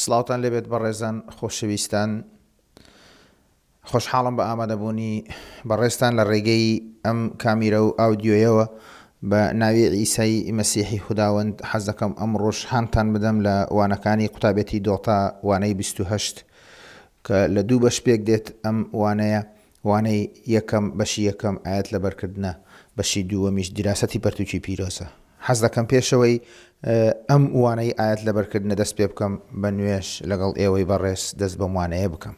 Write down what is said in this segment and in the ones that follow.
سڵاوتان لێبێت بەڕێزان خۆشەویستان خۆشحاڵم بە ئامادەبوونی بەڕێزتان لە ڕێگەی ئەم کامیرە و ئاودیۆیەوە بە ناوی عیسای مەسیحی خوداوەند حەز دەکەم ئەمڕۆش هانتان بدەم لە وانەکانی قوتابێتی دۆتا وانەی 28 کە لە دوو بەش پێک دێت ئەم وانەیە وانەی یەکەم بەشی یەکەم ئایەت لەبەرکردنە بەشی دووەمیش دیراسەتی پەرتوکی پیرۆزە حەز دەکەم پێشەوەی ئەم وانەی ئایەت لەبەرکردنە دەست پێ بکەم بە نوێژ لەگەڵ ئێوەی بەڕێز دەست بەم وانەیە بکەم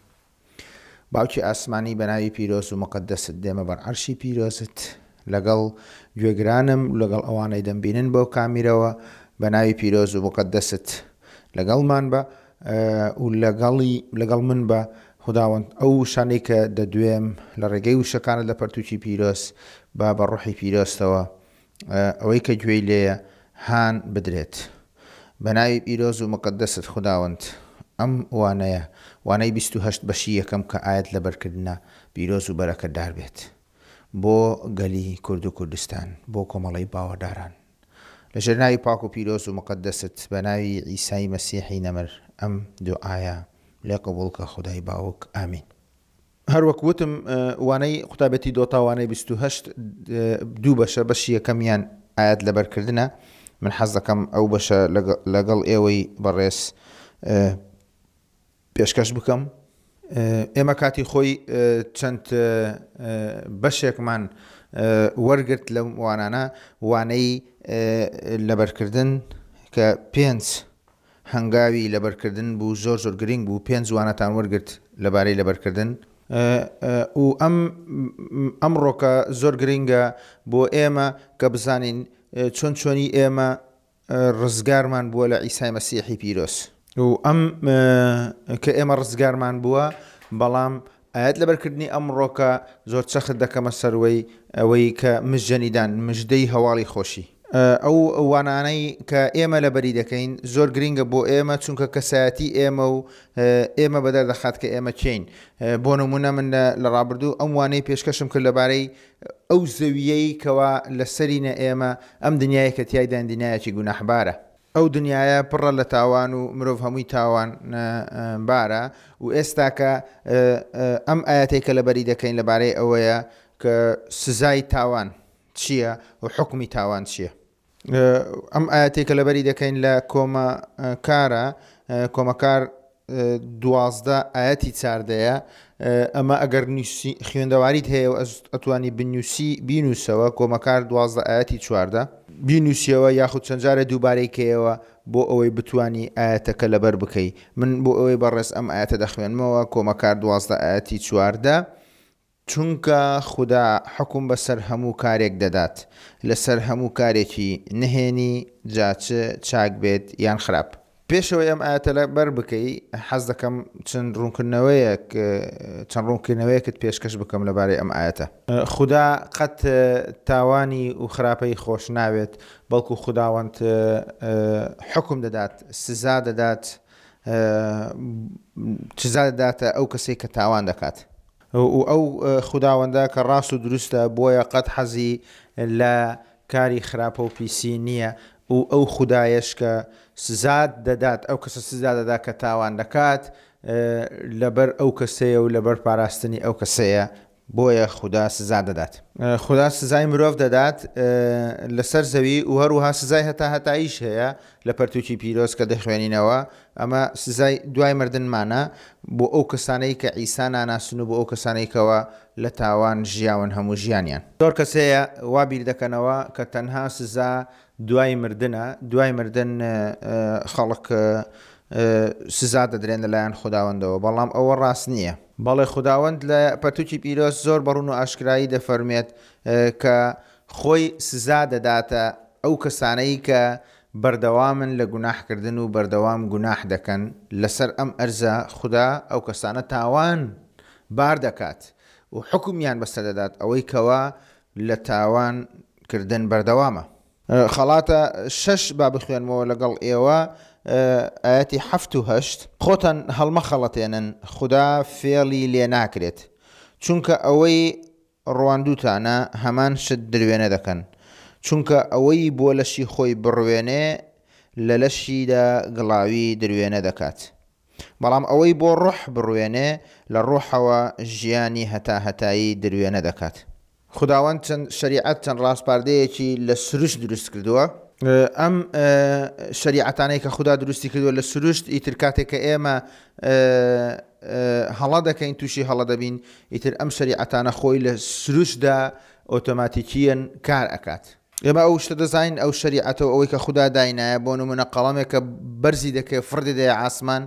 باوکی ئاسمانی بە ناوی پیرۆز و مقەدەست دێمە بەر عەرشی پیرۆزت لەگەڵ گوێگرانم لەگەڵ ئەوانەی دەمبینن بەو کامیرەوە بە ناوی پیرۆز و مقەدەست لەگەڵمان بە و لەگەڵی لەگەڵ من بە خوداوەند ئەو وشانەی کە دەدوێم لە ڕێگەی وشەکانت لە پەرتووکی پیرۆز با بە ڕۆحی پیرۆزتەوە ئەوەی کە گوێی لێیە هان بدرێت. بە ناوی پیرۆز و مقەدەست خوداوەند ئەم وانەیە وانەی 28 بەشی یەکەم کە ئایەت لەبەرکردنە پیرۆز و بەرەکەتدار بێت بۆ گەلی کورد و کوردستان بۆ کۆمەڵەی باوەڕداران. لە ژێر ناوی پاک و پیرۆز و مقەدەست بە ناوی عیسای مەسیحی نەمر ئەم دوعایە لێ قبوڵ کە خودای باوک ئامین. هەر وەک وتم وانەی قوتابێتی دۆتا وانەی 28 دوو بەشە بەشی یەکەمیان ئایەت لەبەرکردنە من حەز دەکەم ئەو بەشە لەگەڵ ئێوەی بەڕێز پێشکەش بکەم. ئێمە کاتی خۆی چەند بەشێکمان وەرگرت لەم وانانە، وانەی لەبەرکردن کە پێنج هەنگاوی لەبەرکردن بوو زۆر زۆر گرنگ بوو، پێنج وانەتان وەرگرت لەبارەی لەبەرکردن و ئەم ئەمڕۆکە زۆر گرنگە بۆ ئێمە کە بزانین چۆن چۆنی ئێمە ڕزگارمان بووە لە عیسای مەسیحی پیرۆز. و ئەم کە ئێمە ڕزگارمان بووە، بەڵام ئایەت لەبەرکردنی ئەمڕۆکە زۆر چەخت دەکەمە سەروەی ئەوەی کە مژدەنیدان، مژدەی هەواڵی خۆشی. ئەو وانانەی کە ئێمە لەبەری دەکەین زۆر گرینگە بۆ ئێمە، چونکە کەسایەتی ئێمە و ئێمە بەدەر دەخات کە ئێمە کێین. بۆ نموونە من لە ڕابردوو ئەم وانەی پێشکەشم کرد لەبارەی ئەو زەوییەی کەوا لەسەرینە ئێمە، ئەم دنیایەی کە تیایداین دنیایەکی گوناحبارە. ئەو دنیایە پڕە لە تاوان و مرۆڤ هەمووی تاوان بارە و ئێستاکە ئەم ئایەتەی کە لەبەری دەکەین لەبارەی ئەوەیە کە سزای تاوان چییە و حوکمی تاوان چییە. ئەم ئایەتەی کە لەبەری دەکەین لە کۆمەکارە، کۆمەکار 12 ئایەتی چاردەیە، ئەمە ئەگەر خوێندەواریت هەیە و ئەتوانی بنووسی بینووسەوە، کۆمەکار 12 ئایەتی 14 بینووسیەوە یاخود چەند جارێ دووبارەی کەیەوە بۆ ئەوەی بتوانی ئایەتەکە لەبەر بکەی. من بۆ ئەوەی بەڕێز ئەم ئایەتە دەخوێنمەوە، کۆمەکار 12 ئایەتی 14. چونکە خودا حوکم بەسەر هەموو کارێک دەدات، لەسەر هەموو کارێکی نهێنی، جا چ چاک بێت یان خراپ. پێش ئەوەی ئەم ئایەتە لەبەر بکەی، حەز دەکەم چەند ڕوونکردنەوەیەک چەند ڕوونکردنەوەیەکت پێشکەش بکەم لەبارەی ئەم ئایەتە. خودا قەت تاوانی و خراپەی خۆش ناوێت، بەڵکو خوداوەند حوکم دەدات، سزا دەدات، سزا دەداتە ئەو کەسەی کە تاوان دەکات. و ئەو خوداوەندە کە ڕاست و دروستە بۆیە قەت حەزی لە کاری خراپە و پیسی نییە و ئەو خودایەش کە سزات دەدات ئەو کەسە سزا دەدات کە تاوان دەکات لەبەر ئەو کەسەیە و لەبەر پاراستنی ئەو کەسەیە بۆیە خودا سزا دەدات. خودا سزای مرۆڤ دەدات لەسەر زەوی و هەروەها سزای هەتا هەتاییش هەیە لە پەرتوکی پیرۆز کە دەخوێنینەوە ئەمە سزای دوای مردنمانە بۆ ئەو کەسانەی کە عیسا ناناسن و بۆ ئەو کەسانەی کەوا لە تاوان ژیاون هەموو ژیانیان. زۆر کەس هەیە وا بیر دەکەنەوە کە تەنها سزا دوای مردنە، دوای مردن خەڵک سزا دەدرێن لەلایەن خوداوەندەوە، بەڵام ئەوە ڕاست نییە. بەڵێ خوداوەند لە پەرتوکی پیرۆز زۆر بە ڕوون و ئاشکرایی دەفەرموێت کە خۆی سزا دەداتە ئەو کەسانەی کە بەردەوامن لە گوناح کردن و بەردەوام گوناح دەکەن لەسەر ئەم ئەرزە خودا ئەو کەسانە تاوان بار دەکات و حوکمیان بەسەر دەدات ئەوەی کەوا لە تاوان کردن بەردەوامە. خەڵاتە شەش با بخوێنمەوە لەگەڵ ئێوە ئایەتی حەفت و هەشت. خۆتان هەڵمەخەڵەتێنن خودا فێڵی لێ ناکرێت چونکە ئەوەی ڕواندووتانە هەمان شت دروێنە دەکەن، چونکە ئەوەی بۆ لەشی خۆی بڕوێنێ لە لەشیدا گڵاوی دروێنە دەکات. بەڵام ئەوەی بۆ ڕۆح بڕوێنێ، لە ڕۆحەوە ژیانی هەتاهەتایی دروێنە دەکات. خوداوەند چەند شەریعەت، چەند ڕاسپاردەیەکی لە سروشت دروست کردووە. ئەم شەریعەتانەی کە خودا دروستی کردووە لە سروشت، ئیتر کاتێک کە ئێمە هەڵە دەکەین، تووشی هەڵە دەبین، ئیتر ئەم شەریعەتانە خۆی لە سروشتدا ئۆتۆماتیکییەن کار ئەکات. ئێمە ئەو شتە دەزانین، ئەو شەریعەتە و ئەوەی کە خودا داینایە، بۆ نموونە قەڵەمێک کە بەرزی دەکەی فڕ دەدەیە ئاسمان،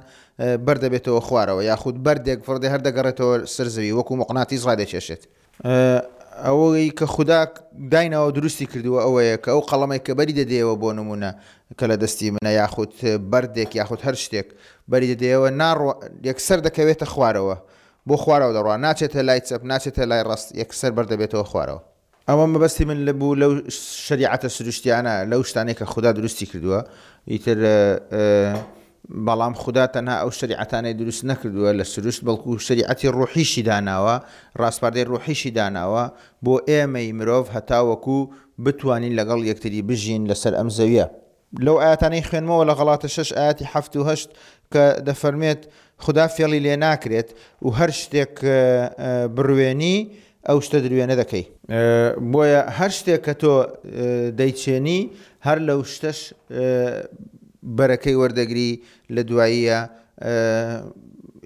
بەر دەبێتەوە خوارەوە، یاخود بەردێک فڕ دێ هەر دەگەڕێتەوە سەر زەوی، وەکوو موقناتیس ڕادەکێشێت. ئەوەی کە خودا دایناوە دروستی کردووە ئەوەیە کە ئەو قەڵەمێک کە بەری دەدەیەوە بۆ نموونە کە لە دەستی منە یاخود بەردێک یاخود هەر شتێک بەری دەدەیەوە ناڕۆ یەکسەر دەکەوێتە خوارەوە بۆ خوارەوە دەڕوا ناچێتە لای چەپ ناچێتە لای ڕاست یەکسەر بەردەبێتەوە خوارەوە. ئەوە مەبەستی من لە بوو لەو شەریعەتە سروشتیانە لەو شتانەی کە خودا دروستی کردووە ئیتر بەڵام خودا تەنها ئەو شەریعەتانەی دروست نەکردووە لە سروشت بەڵکو شەریعەتی ڕوحیشی داناوە ڕاسپاردەی ڕوحیشی داناوە بۆ ئێمەی مرۆڤ هەتاوەکو بتوانین لەگەڵ یەکتری بژین لەسەر ئەم زەویە. لەو ئایەتانەی خوێنمەوە لە غەڵاتە شەش ئایەتی حەفت و هەشت کە دەفەرمێت خودا فێڵی لێ ناکرێت و هەر شتێک بڕوێنی ئەو شتە دروێنە دەکەی. بۆیە هەر شتێک کە تۆ دەیچێنی هەر لەو شتەش بەرەکەی وەردەگری لە دواییە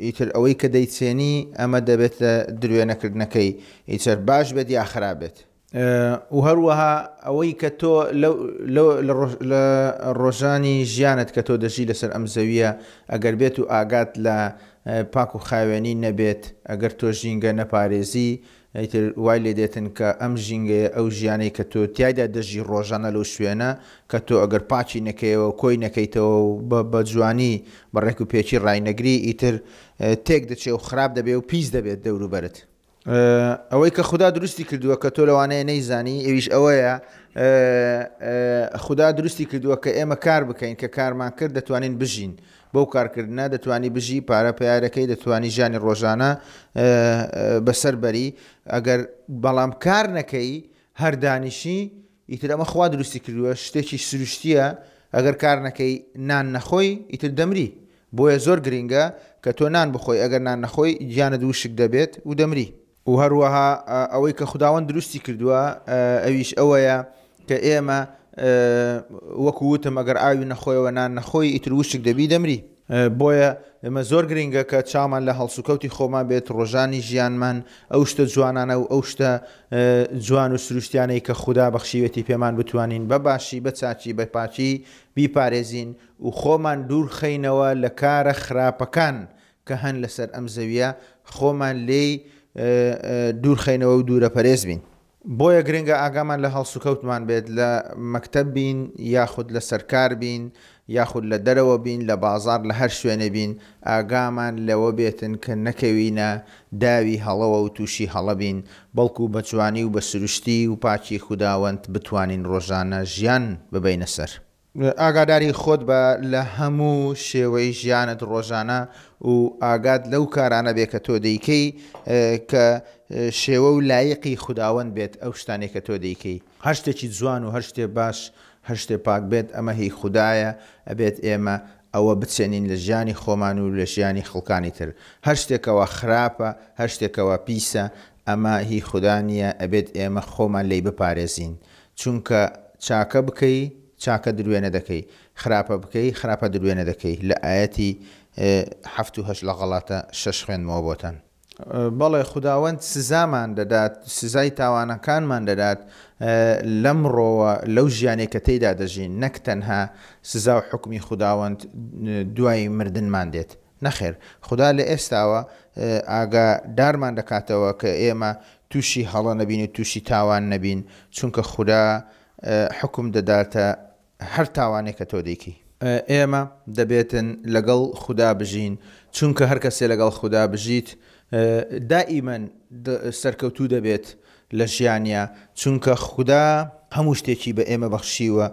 ئیتر ئەوەی کە دەیچێنی ئەمە دەبێتە دروێنەکردنەکەی ئیتر باش بێت یا خراپ بێت. و هەروەها ئەوەی کە تۆ لە ڕۆژانی ژیانت کە تۆ دەژی لەسەر ئەم زەویە ئەگەر بێت و ئاگات لە پاک و خاوێنی نەبێت ئەگەر تۆ ژینگە نەپارێزی ئیتر وای لێ دێتن کە ئەم ژینگەیە ئەو ژیانەی کە تۆ تیایدا دەژی ڕۆژانە لەو شوێنە کە تۆ ئەگەر پاکی نەکەیەوە کۆی نەکەیتەوە و بە جوانی بە ڕێک و پێکی ڕاینەگری ئیتر تێک دەچێ و خراپ دەبێ و پیس دەبێت دەوروبەرت. ئەوەی کە خودا دروستی کردووە کە تۆ لەوانەیە نەیزانی ئەویش ئەوەیە خودا دروستی کردووە کە ئێمە کار بکەین کە کارمان کرد دەتوانین بژین بەو کارکردنە دەتوانی بژی پارە پیارەکەی دەتوانی ژیانی ڕۆژانە بەسەر بەری ئەگەر بەڵام کار نەکەی هەر دانیشی ئیتر ئەمە خوا دروستی کردووە شتێکی سروشتیە ئەگەر کار نەکەی نان نەخۆی ئیتر دەمری بۆیە زۆر گرینگە کە تۆ نان بخۆی ئەگەر نان نەخۆی گیانت وشک دەبێت و دەمری. و هەروەها ئەوەی کە خوداوەند دروستی کردووە ئەویش ئەوەیە کە ئێمە وەکو وتم ئەگەر ئاوی نەخۆیەوە نان نەخۆی ئیتر وشک دەبی دەمری. بۆیە ئێمە زۆر گرینگە کە چاومان لە هەڵسوکەوتی خۆمان بێت ڕۆژانی ژیانمان ئەو شتە جوانانە و ئەو شتە جوان و سروشتیانەی کە خودا بەخشیوێتی پێمان بتوانین بە باشی بە چاکی بە پاکی بیپارێزین و خۆمان دوور خەینەوە لە کارە خراپەکان کە هەن لەسەر ئەم زەویە خۆمان لێی دوور خەینەوە و دوورە پەرێز بین. بۆیە گرنگە ئاگامان لە هەڵسوکەوتمان بێت لە مەکتەب بین یاخود لە سەرکار بین یاخود لە دەرەوە بین لە بازاڕ لە هەر شوێنێ بین ئاگامان لەوە بێتن کە نەکەوینە داوی هەڵەوە و تووشی هەڵە بین بەڵکو بە جوانی و بە سروشتی و پاکی خوداوەند بتوانین ڕۆژانە ژیان ببەینە سەر. ئاگاداری خۆت بە لە هەموو شێوەی ژیانت ڕۆژانە و ئاگات لەو کارانە بێ کە تۆ دەیکەی کە شێوە و لایقی خوداوەند بێت ئەو شتانەی کە تۆ دەیکەی. هەر شتێکی جوان و هەر شتێ باش هەر شتێ پاک بێت ئەمە هی خودایە ئەبێت ئێمە ئەوە بچێنین لە ژیانی خۆمان و لە ژیانی خەڵکانی تر هەر شتێکەوە خراپە هەر شتێکەوە پیسە ئەمە هی خودا نیە ئەبێت ئێمە خۆمان لێی بپارێزین چونکە چاکە بکەی چاکە دروێنە دەکەی خراپە بکەی خراپە دروێنە دەکەی لە ئایەتی حەفت و هەشت لە غەڵاتە شەش خوێندمەوە بۆتان. بەڵێ خوداوەند سزامان دەدات سزای تاوانەکانمان دەدات لەمڕۆوە لەو ژیانەی کە تێیدا دەژین نەک تەنها سزا و حوکمی خوداوەند دوای مردنمان دێت نەخێر خودا لە ئێستاوە ئاگا دارمان دەکاتەوە کە ئێمە توشی هەڵە نەبین و توشی تاوان نەبین چونکە خودا حوکم دەداتە هەر تاوانێک کە تۆ دەیکەی. ئێمە دەبێتن لەگەڵ خودا بژین چونکە هەر کەسێ لەگەڵ خودا بژیت دائیمەن سەرکەوتوو دەبێت لە ژیانیا چونکە خودا هەموو شتێکی بە ئێمە بەخشیوە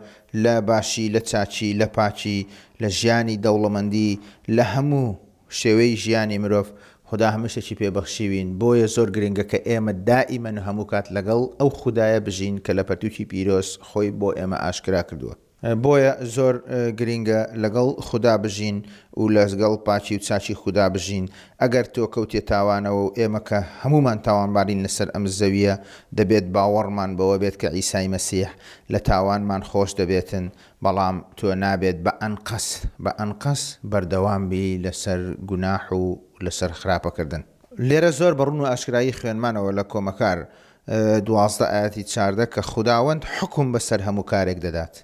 لە باشی لە چاکی لە پاکی لە ژیانی دەوڵەمەندی لە هەموو شێوەی ژیانی مرۆڤ خودا هەموو شتێکی پێ بەخشیوین بۆیە زۆر گرنگە کە ئێمە دائیمەن و هەموو کات لەگەڵ ئەو خودایە بژین کە لە پەرتوکی پیرۆز خۆی بۆ ئێمە ئاشکرا کردووە. بۆیە زۆر گرینگە لەگەڵ خودا بژین و لەگەڵ پاکی و چاکی خودا بژین، ئەگەر تۆ کەوتیە تاوانەوە و ئێمە کە هەموومان تاوانبارین لەسەر ئەم زەویە دەبێت باوەڕمان بەوە بێت کە عیسای مەسیح لە تاوانمان خۆش دەبێتن، بەڵام تۆ نابێت بە ئەنقەس بە ئەنقەس بەردەوام بی لەسەر گوناح و لەسەر خراپەکردن. لێرە زۆر بە ڕوون و ئاشکرایی خوێنمانەوە لە کۆمەکار 12 ئایەتی 14 کە خوداوەند حوکم بەسەر هەموو کارێک دەدات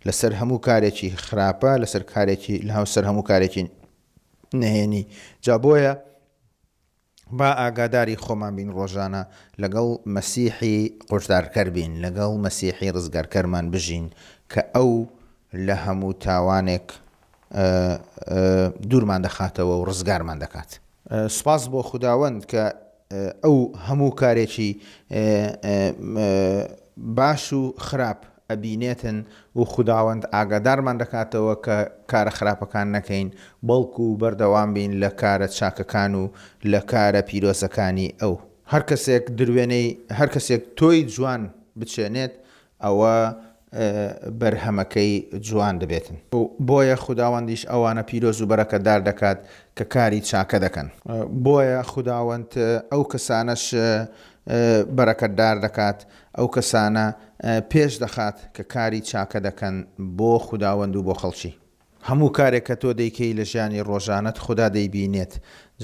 لەسەر هەموو کارێکی خراپە لەسەر کارێکی لەسەر هەموو کارێکی نهێنی جا بۆیە با ئاگاداری خۆمان بین ڕۆژانە لەگەڵ مەسیحی قورتارکەر بین لەگەڵ مەسیحی ڕزگارکەرمان بژین کە ئەو لە هەموو تاوانێک دوورمان دەخاتەوە و ڕزگارمان دەکات. سوپاس بۆ خوداوەند کە ئەو هەموو کارێکی باش و خراپ ئەبینێتن و خوداوەند ئاگادارمان دەکاتەوە کە کارە خراپەکان نەکەین بەڵکو بەردەوام بین لە کارە چاکەکان و لە کارە پیرۆزەکانی ئەو. هەر کەسێک دروێنەی هەر کەسێک تۆی جوان بچێنێت ئەوە بەرهەمەکەی جوان دەبێتن. بۆیە خوداوەندیش ئەوانە پیرۆز و بەرەکەتدار دەکات کە کاری چاکە دەکەن. بۆیە خوداوەند ئەو کەسانەش بەرەکەتدار دەکات، ئەو کەسانە پێش دەخات کە کاری چاکە دەکەن بۆ خوداوەند و بۆ خەڵکی. هەموو کارێک کە تۆ دەیکەی لە ژیانی ڕۆژانەت خودا دەیبینێت،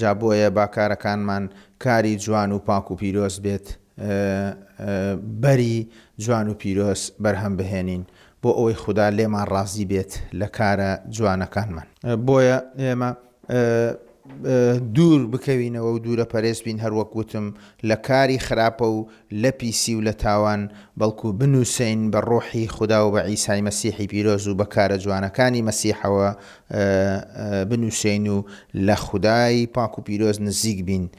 جا بۆیە با کارەکانمان کاری جوان و پاک و پیرۆز بێت، بەری جوان و پیرۆز بەرهەم بهێنین بۆ ئەوەی خودا لێمان ڕازی بێت لە کارە جوانەکانمان. بۆیە ئێمە دوور بکەوینەوە و دوورە پەرێز بین هەروەک وتم لە کاری خراپە و لە پیسی و لە تاوان بەڵکو بنووسین بە ڕۆحی خودا و بە عیسای مەسیحی پیرۆز و بە کارە جوانەکانی مەسیحەوە بنووسین و لە خودای پاک و پیرۆز نزیک بین.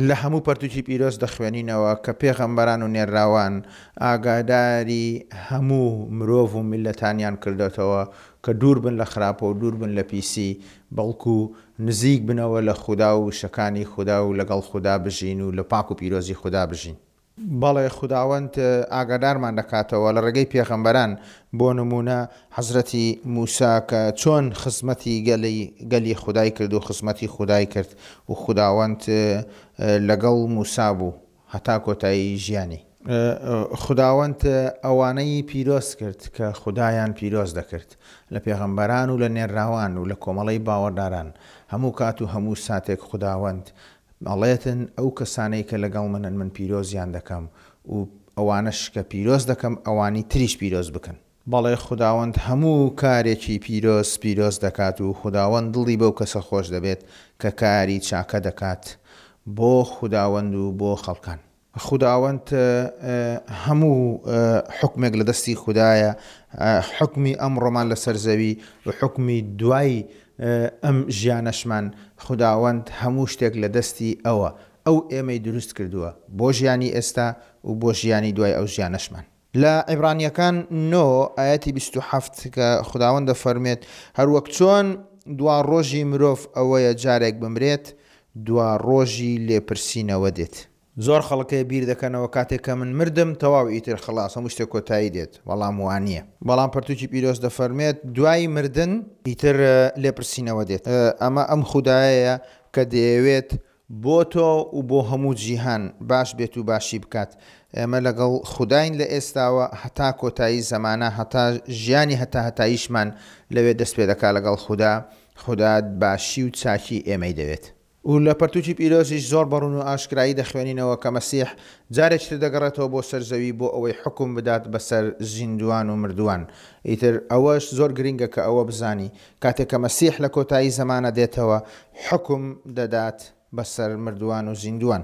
لە هەموو پەرتوکی پیرۆز دەخوێنینەوە کە پێغەمبەران و نێرراوان ئاگاداری هەموو مرۆڤ و میللەتانیان کردۆتەوە کە دوور بن لە خراپە و دوور بن لە پیسی بەڵکو نزیک بنەوە لە خودا و وشەکانی خودا و لەگەڵ خودا بژین و لە پاک و پیرۆزی خودا بژین. بەڵێ خوداوەند ئاگادارمان دەکاتەوە لە ڕێگەی پێغەمبەران، بۆ نموونە حەزرەتی موسا کە چۆن خزمەتی گەلی گەلی خودای کرد و خزمەتی خودای کرد و خوداوەند لەگەڵ موسا بوو هەتا کۆتایی ژیانی. خوداوەند ئەوانەی پیرۆز کرد کە خودایان پیرۆز دەکرد، لە پێغەمبەران و لە نێرراوان و لە کۆمەڵەی باوەڕداران، هەموو کات و هەموو ساتێک خوداوەند ئەڵێتن ئەو کەسانەی کە لەگەڵ منن من پیرۆزیان دەکەم و ئەوانەش کە پیرۆز دەکەم ئەوانی تریش پیرۆز بکەن. بەڵێ خوداوەند هەموو کارێکی پیرۆز پیرۆز دەکات و خوداوەند دڵی بەو کەسە خۆش دەبێت کە کاری چاکە دەکات بۆ خوداوەند و بۆ خەڵکان. خوداوەند هەموو حوکمێک لە دەستی خودایە، حوکمی ئەمڕۆمان لەسەر زەوی و حوکمی دوای ئەم ژیانەشمان، خوداوەند هەموو شتێک لە دەستی ئەوە، ئەو ئێمەی دروست کردووە بۆ ژیانی ئێستا و بۆ ژیانی دوای ئەو ژیانەشمان. لە عیبرانییەکان نۆ ئایەتی 27 کە خوداوەند دەفەرموێت، هەروەک چۆن دوا ڕۆژی مرۆڤ ئەوەیە جارێک بمرێت، دوا ڕۆژی لێپرسینەوە دێت. زۆر خەڵک هەیە بیر دەکەنەوە کاتێک کە من مردم تەواو ئیتر خەڵاس هەموو شتێک کۆتایی دێت، بەڵام وانییە. بەڵام پەرتوکی پیرۆز دەفەرموێت دوای مردن ئیتر لێپرسینەوە دێت. ئەمە ئەم خودایەیە کە دەیەوێت بۆ تۆ و بۆ هەموو جیهان باش بێت و باشی بکات. ئێمە لەگەڵ خوداین لە ئێستاوە هەتا کۆتایی زەمانە هەتا ژیانی هەتاهەتاییشمان لەوێ دەست پێ دەکا لەگەڵ خودا، خودا باشی و چاکی ئێمەی دەوێت. و لە پەرتوکی پیرۆزیش زۆر بە ڕوون و ئاشکرایی دەخوێنینەوە کە مەسیح جارێکی تر دەگەڕێتەوە بۆ سەر زەوی بۆ ئەوەی حوکم بدات بەسەر زیندووان و مردووان. ئیتر ئەوەش زۆر گرینگە کە ئەوە بزانی کاتێک کە مەسیح لە کۆتایی زەمانە دێتەوە حوکم دەدات بەسەر مردووان و زیندووان.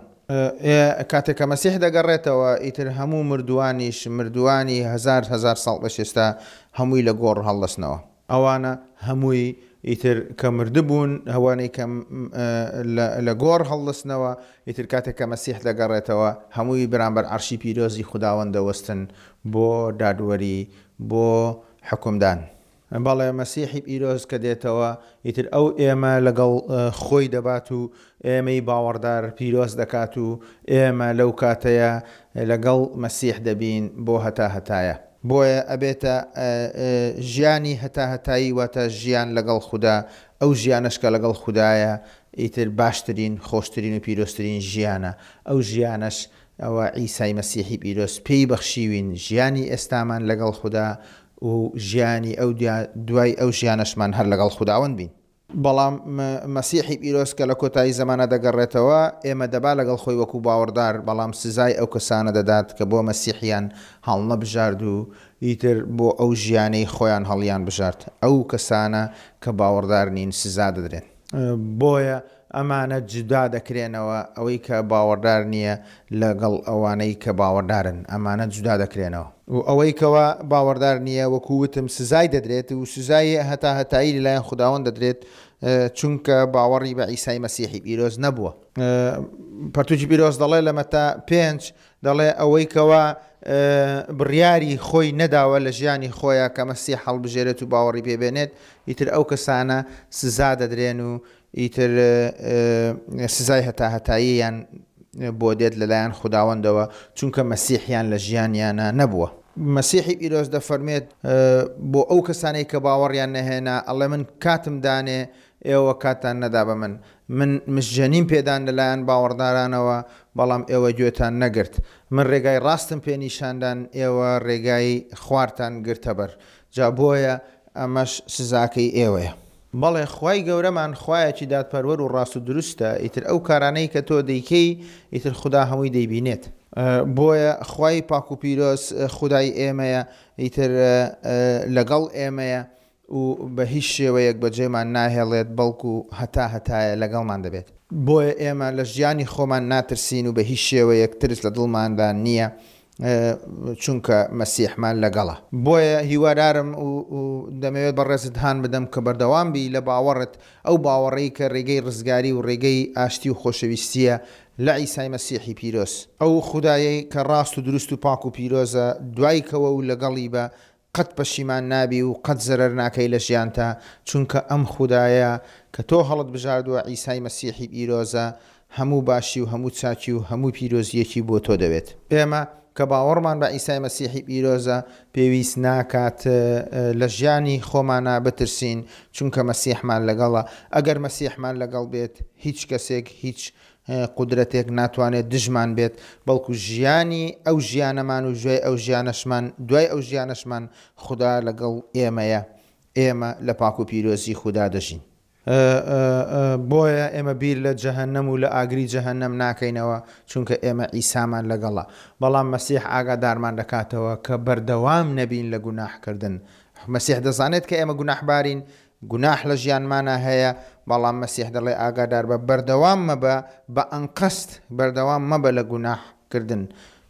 کاتێک کە مەسیح دەگەڕێتەوە ئیتر هەموو مردووانیش، مردووانی هەزار هەزار ساڵ پێش ئێستا هەمووی لە گۆڕ هەڵدەستنەوە. ئەوانە هەمووی ئیتر کە مردبوون، ئەوانەی کە لە گۆڕ هەڵدەستنەوە، ئیتر کاتێک کە مەسیح دەگەڕێتەوە، هەمووی بەرامبەر عەرشی پیرۆزی خوداوەند دەوەستن بۆ دادوەری، بۆ حوکمدان. بەڵێ، مەسیحی پیرۆز کە دێتەوە، ئیتر ئەو ئێمە لەگەڵ خۆی دەبات و ئێمەی باوەڕدار پیرۆز دەکات و ئێمە لەو کاتەیە لەگەڵ مەسیح دەبین بۆ هەتاهەتایە. بۆیە ئەبێتە ژیانی هەتاهەتایی واتە ژیان لەگەڵ خودا، ئەو ژیانەش کە لەگەڵ خودایە ئیتر باشترین، خۆشترین و پیرۆزترین ژیانە، ئەو ژیانەش ئەوە عیسای مەسیحی پیرۆز پێی بەخشیوین، ژیانی ئێستامان لەگەڵ خودا و ژیانی ئەو دوای ئەو ژیانەشمان هەر لەگەڵ خوداوەند بین. بەڵام مەسیحی پیرۆز کە لە کۆتایی زەمانە دەگەڕێتەوە، ئێمە دەبا لەگەڵ خۆی وەکو باوەڕدار، بەڵام سزای ئەو کەسانە دەدات کە بۆ مەسیحیان هەڵنەبژارد و ئیتر بۆ ئەو ژیانەی خۆیان هەڵیان بژارد. ئەو کەسانە کە باوەڕدار نین سزا دەدرێن. بۆیە ئەمانە جودا دەکرێنەوە، ئەوەی کە باوەڕدار نییە لەگەڵ ئەوانەی کە باوەڕدارن، ئەمانە جودا دەکرێنەوە. و ئەوەی کەوا باوەڕدار نییە، وەکو وتم سزای دەدرێت و سزای هەتاهەتایی لەلایەن خوداوەند دەدرێت، چونکە باوەڕی بە عیسای مەسیحی پیرۆز نەبووە. پەرتوکی پیرۆز دەڵێ لە مەتا پێنج دەڵێ ئەوەی کەوا بڕیاری خۆی نەداوە لە ژیانی خۆیا کە مەسیح هەڵبژێرێت و باوەڕی پێ بێنێت، ئیتر ئەو کەسانە سزا دەدرێن و ئیتر سزای هەتاهەتاییان بۆ دێت لەلایەن خوداوەندەوە، چونکە مەسیحیان لە ژیانیانا نەبووە. مەسیحی پیرۆز دەفەرموێت بۆ ئەو کەسانەی کە باوەڕیان نەهێنا، ئەڵێ من کاتم دانێ، ئێوە کاتتان نەدا بە من. من مژجەنیم پێدان لەلایەن باوەڕدارانەوە، بەڵام ئێوە گوێتان نەگرت. من ڕێگای ڕاستم پێ نیشاندان، ئێوە ڕێگای خوارتان گرتەبەر. جا بۆیە ئەمەش سزاکەی ئێوەیە. بەڵێ خوای گەورەمان خوایەکی دادپەروەر و ڕاست و دروستە، ئیتر ئەو کارانەی کە تۆ دەیکەی ئیتر خودا هەمووی دەیبینێت. بۆیە خوای پاک و پیرۆز خودای ئێمەیە، ئیتر لەگەڵ ئێمەیە و بە هیچ شێوەیەک بەجێمان ناهێڵێت بەڵکو هەتا هەتایە لەگەڵمان دەبێت. بۆیە ئێمە لە ژیانی خۆمان ناترسین و بە هیچ شێوەیەک ترس لە دڵماندا نییە چونکە مەسیحمان لەگەڵە. بۆیە هیوادارم و دەمەوێت بەڕێزت هان بدەم کە بەردەوام بی لە باوەڕت، ئەو باوەڕەی کە ڕێگەی ڕزگاری و ڕێگەی ئاشتی و خۆشەویستییە لە عیسای مەسیحی پیرۆز. ئەو خودایەی کە ڕاست و دروست و پاک و پیرۆزە، دوای کەوە و لەگەڵی بە، قەت پەشیمان نابی و قەت زەرەر ناکەی لە ژیانتا، چونکە ئەم خودایە کە تۆ هەڵت بژاردووە عیسای مەسیحی پیرۆزە، هەموو باشی و هەموو چاکی و هەموو پیرۆزییەکی بۆ تۆ دەوێت. ئێمە کە باوەڕمان بە عیسای مەسیحی پیرۆزە، پێویست ناکات لە ژیانی خۆمانا بترسین، چونکە مەسیحمان لەگەڵە. ئەگەر مەسیحمان لەگەڵ بێت، هیچ کەسێک هیچ قودرەتێک ناتوانێت دژمان بێت، بەڵکو ژیانی ئەو ژیانەمان و ژوای ئەو ژیانەشمان دوای ئەو ژیانەشمان خودا لەگەڵ ئێمەیە، ئێمە لە پاک و پیرۆزی خودا دەژین. بۆیە ئێمە بیر لە جەهەنەم و لە ئاگری جەهەنەم ناکەینەوە، چونکە ئێمە عیسامان لەگەڵە. بەڵام مەسیح ئاگادارمان دەکاتەوە کە بەردەوام نەبین لە گوناحکردن. مەسیح دەزانێت کە ئێمە گوناحبارین، گوناح لە ژیانمانا هەیە، بەڵام مەسیح دەڵێ ئاگاداربە بەردەوام مەبە بە ئەنقەست بەردەوام مەبە لە گوناح کردن،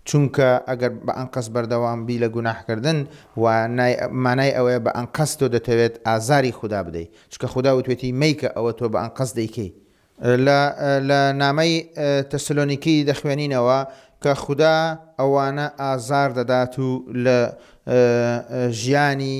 چونکە ئەگەر بە ئەنقەست بەردەوام بی لە گوناح کردن وانای مانای ئەوەیە بە ئەنقەست تۆ دەتەوێت ئازاری خودا بدەی، چونکە خودا وتوێتی مەیکە ئەوە تۆ بە ئەنقەست دەیکەی. لە لە نامەی تەسلۆنیکی دەخوێنینەوە کە خودا ئەوانە ئازار دەدات و لە ژیانی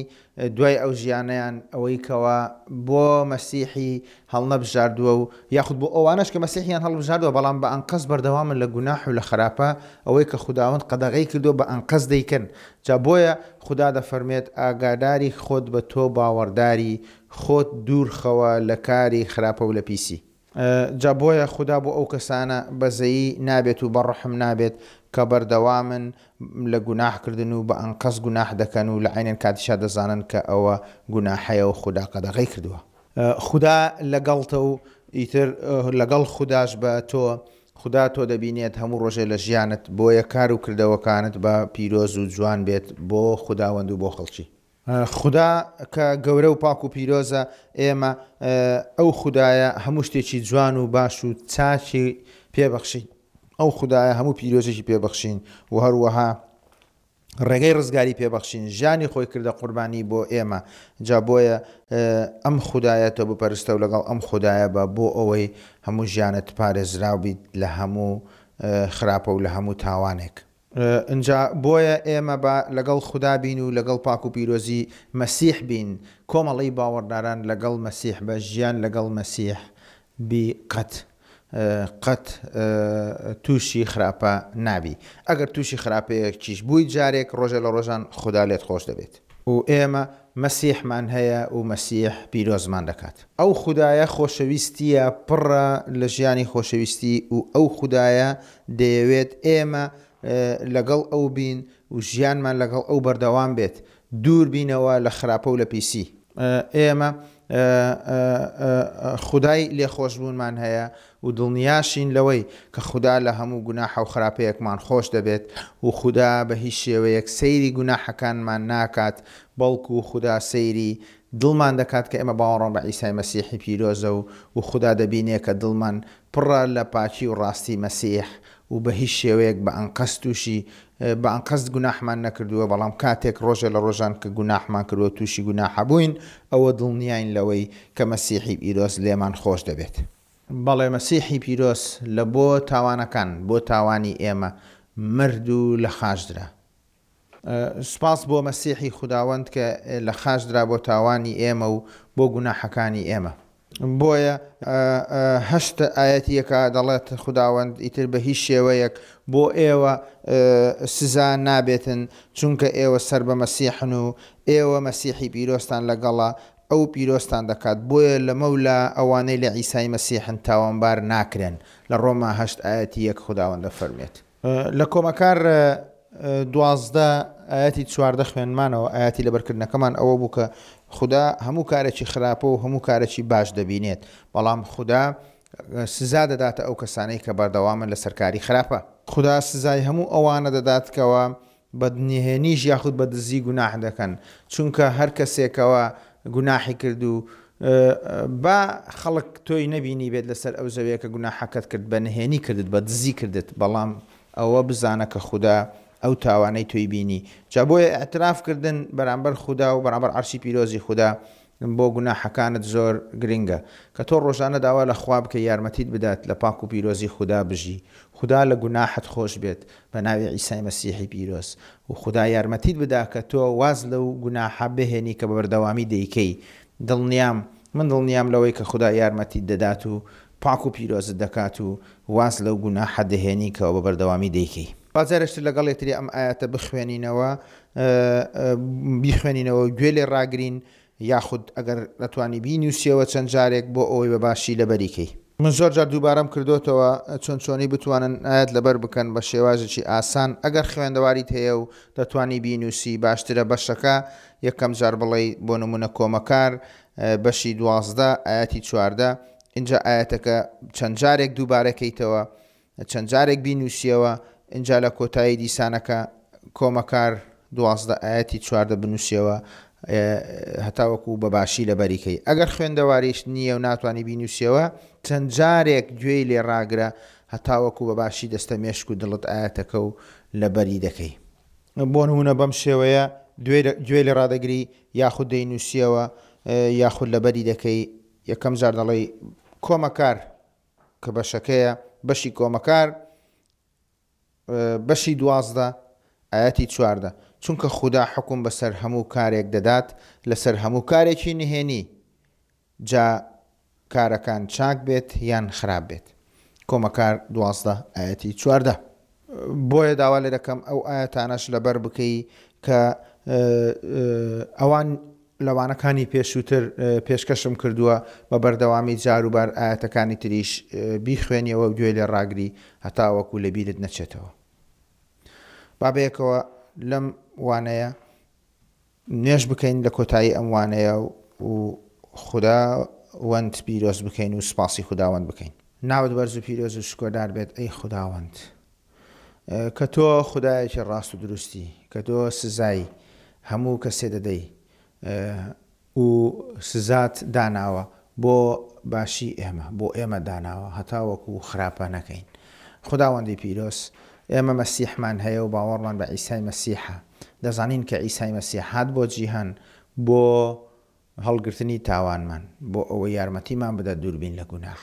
دوای ئەو ژیانەیان ئەوەی کەوا بۆ مەسیحی هەڵنەبژاردووە و یاخود بۆ ئەوانەش کە مەسیحیان هەڵبژاردووە بەڵام بە ئەنقەست بەردەوامن لە گوناح و لە خراپە ئەوەی کە خوداوەند قەدەغەی کردووە بە ئەنقەست دەیکەن جا بۆیە خودا دەفەرمێت ئاگاداری خۆت بە تۆ باوەڕداری خۆت دوور خەوە لە کاری خراپە و لە پیسی. جا بۆیە خودا بۆ ئەو کەسانە بەزەیی نابێت و بە ڕەحم نابێت کە بەردەوامن لە گوناح کردن و بە ئەنقەست گوناح دەکەن و لە عەینەن کاتیشا دەزانن کە ئەوە گوناحەیە و خودا قەدەغەی کردووە. خودا لەگەڵتە و ئیتر لەگەڵ خوداش بە تۆ، خودا تۆ دەبینێت هەموو ڕۆژێ لە ژیانت، بۆیە کار و کردەوەکانت با پیرۆز و جوان بێت بۆ خوداوەند و بۆ خەڵکی. خودا کە گەورە و پاک و پیرۆزە، ئێمە ئەو خودایە هەموو شتێکی جوان و باش و چاکی پێ بەخشین. ئەو خودایە هەموو پیرۆزێکی پێ بەخشین و هەروەها ڕێگەی ڕزگاری پێ بەخشین. ژیانی خۆی کردە قوربانی بۆ ئێمە. جا بۆیە ئەم خودایە تۆ بپەرستە و لەگەڵ ئەم خودایە بە بۆ ئەوەی هەموو ژیانت پارێزراو بیت لە هەموو خراپە و لە هەموو تاوانێک. ئینجا بۆیە ئێمە با لەگەڵ خودا بین و لەگەڵ پاک و پیرۆزی مەسیح بین، کۆمەڵەی باوەڕداران لەگەڵ مەسیح بە ژیان لەگەڵ مەسیح بی قەت. قەت تووشی خراپە نابی. ئەگەر تووشی خراپەیەکیش بووی جارێک ڕۆژێ لە ڕۆژان خودا لێت خۆش دەبێت. و ئێمە مەسیحمان هەیە و مەسیح پیرۆزمان دەکات. ئەو خودایە خۆشەویستییە پڕە لە ژیانی خۆشەویستی و ئەو خودایە دەیەوێت ئێمە لەگەڵ ئەو بین و ژیانمان لەگەڵ ئەو بەردەوام بێت، دوور بینەوە لە خراپە و لە پیسی. ئێمە خودای لێخۆشبوونمان هەیە و دڵنیاشین لەوەی کە خودا لە هەموو گوناحە و خراپەیەکمان خۆش دەبێت و خودا بە هیچ شێوەیەک سەیری گوناحەکانمان ناکات بەڵکو خودا سەیری دڵمان دەکات کە ئێمە باوەڕمان بە عیسای مەسیحی پیرۆزە و و خودا دەبینێ کە دڵمان پڕە لە پاکی و ڕاستی مەسیح و بە هیچ شێوەیەک بە ئەنقەست تووشی بە ئەنقەست گوناحمان نەکردووە، بەڵام کاتێک ڕۆژێ لە ڕۆژان کە گوناحمان کردووە تووشی گوناحە بووین، ئەوە دڵنیاین لەوەی کە مەسیحی پیرۆز لێمان خۆش دەبێت. بەڵێ مەسیحی پیرۆز لە بۆ تاوانەکان، بۆ تاوانی ئێمە مرد و لە خاچ درا. سوپاس بۆ مەسیحی خوداوەند کە لە خاچ درا بۆ تاوانی ئێمە و بۆ گوناحەکانی ئێمە. بۆیە هەشت ئایەتی یەکا دەڵێت خوداوەند ئیتر بە هیچ شێوەیەک بۆ ئێوە سزا نابێتن چونکە ئێوە سەر بە مەسیحن و ئێوە مەسیحی پیرۆزتان لەگەڵە ئەو پیرۆزتان دەکات بۆیە لەمەولا ئەوانەی لە عیسای مەسیحن تاوانبار ناکرێن لە ڕۆما هەشت ئایەتی یەک خوداوەند دەفەرموێت. لە کۆمەکار 12 ئایەتی 14 خوێنمانەوە، ئایەتی لەبەرکردنەکەمان ئەوە بوو کە خودا هەموو کارێکی خراپە و هەموو کارێکی باش دەبینێت، بەڵام خودا سزا دەداتە ئەو کەسانەی کە بەردەوامن لەسەر کاری خراپە. خودا سزای هەموو ئەوانە دەدات کەوا بە نهێنیش یاخود بە دزی گوناح دەکەن، چونکە هەر کەسێکەوە گوناحی کرد و با خەڵک تۆی نەبینیبێت لەسەر ئەو زەویە کە گوناحەکەت کرد، بە نهێنی کردت، بە دزی کردت، بەڵام ئەوە بزانە کە خودا ئەو تاوانەی تۆی بینی. جا بۆیە ئیعتراف کردن بەرامبەر خودا و بەرامبەر عەرشی پیرۆزی خودا بۆ گوناحەکانت زۆر گرنگە. کە تۆ ڕۆژانە داوا لە خوا بکەی یارمەتیت بدات لە پاک و پیرۆزی خودا بژی، خودا لە گوناحت خۆش بێت بە ناوی عیسای مەسیحی پیرۆز و خودا یارمەتیت بدا کە تۆ واز لەو گوناحە بهێنی کە بە بەردەوامی دەیکەی دڵنیام من دڵنیام لەوەی کە خودا یارمەتیت دەدات و پاک و پیرۆزت دەکات و واز لەو گوناحە دەهێنی کە بە بەردەوامی دەیکەی. با جارێکتر لەگەڵ یەکتری ئەم ئایەتە بخوێنینەوە بیخوێنینەوە و گوێ لێ ڕاگرین یاخود ئەگەر دەتوانی بینوسیەوە چەند جارێک بۆ ئەوەی بە باشی لەبەری کەی. من زۆر جار دووبارەم کردۆتەوە چۆن چۆنی بتوانن ئایەت لەبەر بکەن بە شێوازێکی ئاسان ئەگەر خوێندەواریت هەیە و دەتوانی بینوسی باشترە بەشەکە یەکەم جار بڵێی بۆ نمونە کۆمەکار بەشی 12 ئایەتی 14 ئینجا ئایەتەکە چەند جارێک دووبارە کەیتەوە چەند جارێک بینوسیەوە ئینجا لە کۆتایی دیسانەکە کۆمەکار 12 ئایەتی 14 بنوسیەوە هەتاوەکو بە باشی لەبەری کەی ئەگەر خوێندەواریشت نییە و ناتوانی بینوسیەوە چەند جارێک گوێی لێ ڕاگرە هەتاوەکو بە باشی دەستە مێشک و دڵت ئایەتەکە و لەبەری دەکەی. بۆ نمونە بەم شێوەیە گوێ لێ ڕادەگری یاخود دەینوسیەوە یاخود لەبەری دەکەی یەکەم جار دەڵێی کۆمەکار کە بەشەکەیە بەشی کۆمەکار بەشی 12 ئایەتی 14 چونکە خودا حوکم بەسەر هەموو کارێک دەدات لەسەر هەموو کارێکی نهێنی جا کارەکان چاک بێت یان خراپ بێت کۆمەکار 12 ئایەتی 14. بۆیە داوا لێ دەکەم ئەو ئایەتانەش لەبەر بکەی کە ئەوان لە وانەکانی پێشووتر پێشکەشم کردووە، بە بەردەوامی جاروبار ئایەتەکانی تریش بیخوێنیەوە و گوێی لێ ڕاگری هەتاوەکو لە بیرت نەچێتەوە. با بەیەکەوە لەم وانەیە نوێژ بکەین لە کۆتایی ئەم وانەیە و خوداوەند پیرۆز بکەین و سوپاسی خوداوەند بکەین. ناوت بەرز و پیرۆز و شکۆدار بێت ئەی خوداوەند کە تۆ خودایەکی ڕاست و دروستی، کە تۆ سزای هەموو کەسێ دەدەی و سزات داناوە بۆ باشی ئێمە، بۆ ئێمە داناوە هەتاوەکو خراپە نەکەین. خوداوەندی پیرۆز، ئێمە مەسیحمان هەیە و باوەڕمان بە عیسای مەسیحە. دەزانین کە عیسای مەسیح هات بۆ جیهان بۆ هەڵگرتنی تاوانمان، بۆ ئەوەی یارمەتیمان بدات دووربین لە گوناح.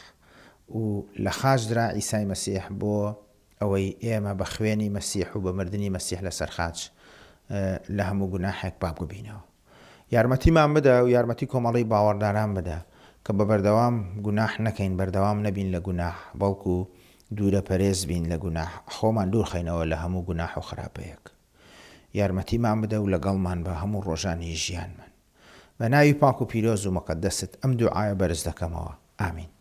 و لە خاچ درا عیسای مەسیح بۆ ئەوەی ئێمە بە خوێنی مەسیح و بە مردنی مەسیح لەسەر خاچ لە هەموو گوناحێک پاک ببینەوە. یارمەتیمان بدە و یارمەتی کۆمەڵەی باوەڕداران بدە کە بە بەردەوام گوناح نەکەین، بەردەوام نەبین لە گوناح، بەڵکو دوورە پەرێز بین لە گوناح، خۆمان دوور خەینەوە لە هەموو گوناح و خراپەیەک. یارمەتیمان بدە و لەگەڵمان بە هەموو ڕۆژانی ژیانمان. بە ناوی پاک و پیرۆز و مقەدەست ئەم دوعایە بەرز دەکەمەوە. ئامین.